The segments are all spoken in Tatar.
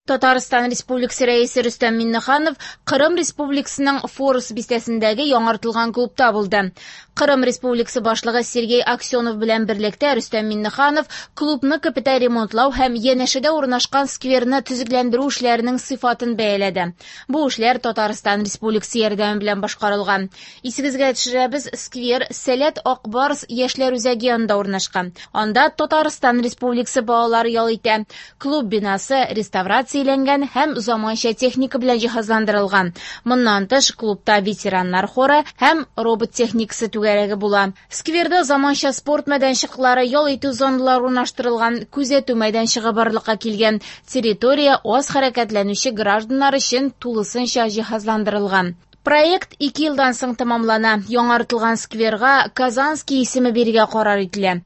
Татарстан Республикасы Рәисе Рөстәм Миңнеханов Кырым Республикасының Форос бистәсендәге яңартылган клубта булды. Кырым Республикасы башлыгы Сергей Аксенов белән берлектә Рөстәм Миңнеханов клубны капиталь ремонтлау һәм янәшәдә урнашкан скверны төзекләндерү эшләренең сыйфатын бәяләде. Бу эшләр Татарстан Республикасы ярдәме белән башкарылган. Исегезгә төшерәбез, сквер Сәләт Ак Барс яшьләр үзәге янында урнашкан. Анда Татарстан Республикасы балалары ял итә. Клуб бинасы реставрацияләнгән һәм заманча техника белән җиһазландырылган. Моннан тыш, клубта ветераннар хоры һәм робот техникасы түгәрәге була. Скверда заманча спорт мәйданчыклары, ял итү зоналары урнаштырылган, күзәтү мәйданчыгы барлыкка килгән. Территория аз хәрәкәтләнүче гражданнар өчен тулысынча җиһазландырылган. Проект 2 елдан соң тәмамлана. Яңартылган скверга Казанский исеме бирергә карар ителә.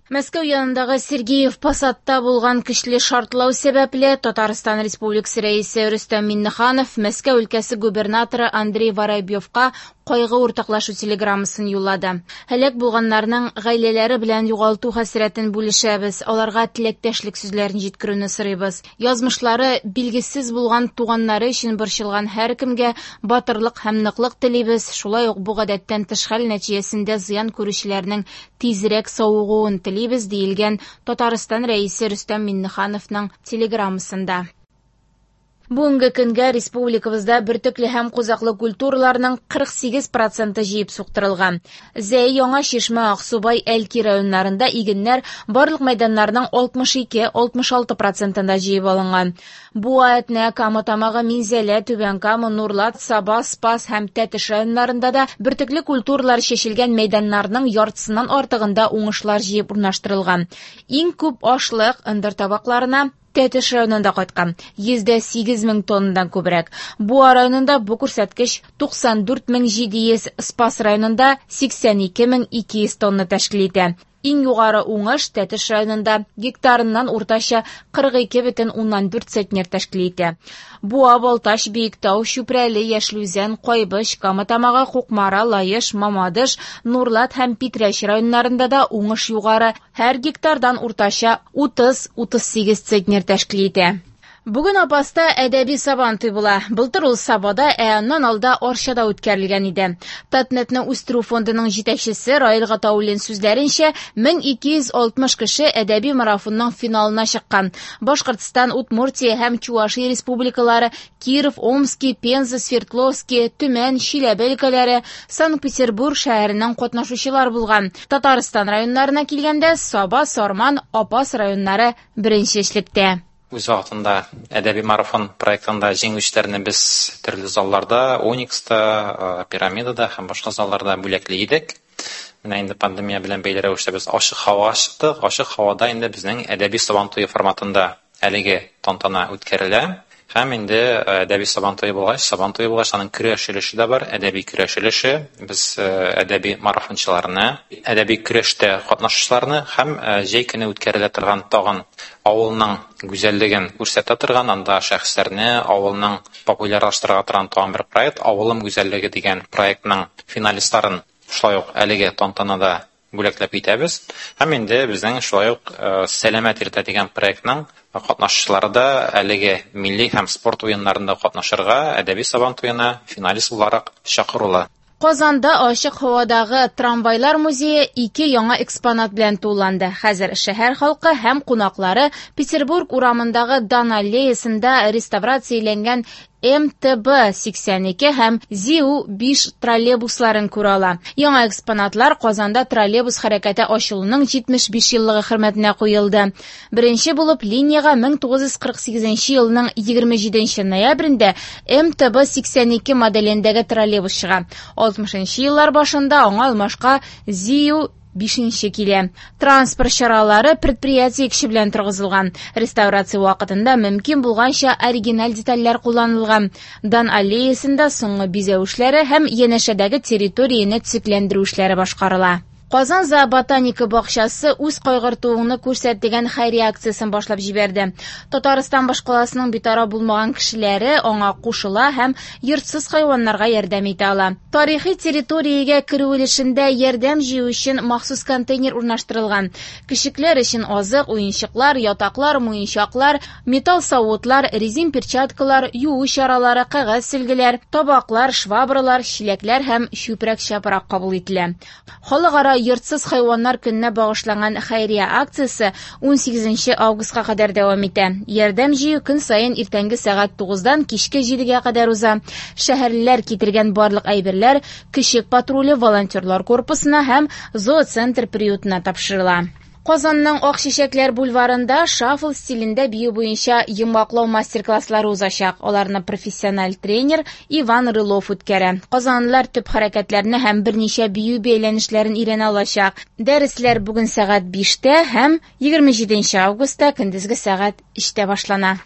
Мәскәү янындагы Сергеев Посадта булган көчле шартлау сәбәпле Татарстан Республикасы Рәисе Рөстәм Миңнеханов Мәскәү өлкәсе губернаторы Андрей Воробьевка кайгы уртаклашу телеграммасын юллады. Һәлак булганнарның гаиләләре белән югалту хәсрәтен бүлешәбез, аларга теләктәшлек сүзләрен җиткерүне сорыйбыз. Язмышлары билгесез булган туганнары өчен борчылган һәркемгә батырлык һәм ныклык телибез. Шулай ук бу гадәттән тыш хәл нәтиҗәсендә зыян күрүчеләрнең тизрәк савыгуын телибез, диелгән Татарстан Рәисе Рөстәм Миңнехановның телеграммасында. Бүгенге көнгә республикабызда бөртекле һәм кузаклы культураларның 48% җыеп суктырылган. Зәй, Яңа Чишмә, Аксубай, Әлки районнарында игеннәр барлык мәйданнарның 62-66% җыеп алынган. Буа, Әтнә, Кама Тамагы, Минзәлә, Түбән Кама, Нурлат, Саба, Спас һәм Тәтеш районнарында да бөртекле культуралар чәчелгән мәйданнарның яртысыннан артыгында уңышлар җыеп урнаштырылган. Иң күп ашлык ындыр табакларына Тәтеш районында кайткан, 108 мең тоннадан күбрәк. Буа районында бу күрсәткеч 94 700, Спас районында 82 200 тонна тәшкил итә. Иң югары уңыш Тәтеш районында гектарыннан уртача 42,4 центнер тәшкил итә. Буа, Балтач, Биектау, Чүпрәле, Яшел Үзән, Кайбыч, Кама Тамагы, Кукмара, Лаеш, Мамадыш, Нурлат һәм Питрәч районнарында да уңыш югары, һәр гектардан уртача 30-38 центнер тәшкил итә. Бүген Апаста әдәби сабантуй була. Былтыр ул Сабада, ә аннан алда Арчада үткәрелгән иде. Татнетны үстерү фондының җитәкчесе Раил Гатауллин сүзләренчә, 1260 кеше әдәби марафонның финалына чыккан. Башкортстан, Удмуртия һәм Чувашия республикалары, Киров, Омски, Пенза, Свердловски, Төмән, Чиләбе өлкәләре, Санкт-Петербург шәһәреннән катнашучылар булган. Татарстан районнарына килгәндә, Саба, Сарман, Апас районнары беренче эшлектә. Үз вакытында әдәби марафон проектында җиңүчеләрне без төрле залларда, Уникста, Пирамидада һәм башка залларда бүләкли идек. Менә инде пандемия белән бәйле рәвештә без ачык һавага чыктык. Ачык һавада инде безнең әдәби сабан туе форматында әлеге тантана үткәрелә. Һәм инде әдәби сабан туе булгач, сабан туе булгач, аның көрәш өлеше дә бар, әдәби көрәш өлеше. Без әдәби марафончыларны, әдәби көрәштә катнашучыларны һәм җәй көне үткәрелә торган тагын авылның гүзәллеген күрсәтә торган, анда шәхесләрне, авылның популярлаштыра торган тагын бер проект, Авылым гүзәллеге дигән проектның финалистларын шулай ук әлеге тантанада бүләкләп китәбез. Һәм инде безнең шулай ук Сәламәт иртә дигән проектның катнашучылары да әлеге милли һәм спорт уеннарында катнашырга әдәби сабан туена финалист буларак чакырулы. Казанда ачык һавадагы трамвайлар музее 2 яңа экспонат белән тулыланды. Хәзер шәһәр халкы һәм кунаклары Петербург урамындагы Дан аллеясында реставрацияләнгән МТБ 82 һәм ЗИУ 5 троллейбусларын күрә ала. Яңа экспонатлар Казанда троллейбус хәрәкәте ачылуның 75 еллыгы хөрмәтенә куелды. Беренче булып линиягә 1948 елның 27 ноябрендә МТБ 82 моделендәге троллейбус чыга. 60 еллар башында аңа алмашка ЗИУ 5 килә. Транспорт чаралары предприятие кеше белән торгызылган. Реставрация вакытында мөмкин булганча оригиналь детальләр кулланылган. Дан аллеясында соңгы бизәү эшләре һәм янәшәдәге территорияне төзекләндерү эшләре башкарыла. Казан зооботаника бакчасы үз кайгыртуыңны күрсәт дигән хәйрия акциясен башлап җибәрде. Татарстан башкаласының битараф булмаган кешеләре аңа кушыла һәм йортсыз хайваннарга ярдәм итә ала. Тарихи территориягә керү өлешендә ярдәм җыю өчен махсус контейнер урнаштырылган. Көчекләр өчен азык, уенчыклар, ятаклар, муенчаклар, металл савытлар, резин перчаткалар, юу чаралары, кәгазь сөлгеләр, табаклар, швабралар, чиләкләр һәм чүпрәк-чапрак кабул ителә. Халыкара йортсыз хайваннар көненә багышланган хәйрия акциясе 18 августка кадәр дәвам итә. Ярдәм җыю көн саен иртәнге сәгать 9-дан кичке 7-гә кадәр уза. Шәһәрлеләр китергән барлык әйберләр Көчек патруле волонтерлар корпусына һәм зооцентр приютына тапшырыла. Казанның Ак чәчәкләр бульварында шаффл стилендә бию буенча йомгаклау мастер-класслары узачак. Аларны профессиональ тренер Иван Рылов үткәрә. Казанлылар төп хәрәкәтләрне һәм берничә бию бәйләнешләрен өйрәнә алачак. Дәресләр бүген сәгать 5-тә һәм 27 августта көндезге сәгать 3-тә башлана.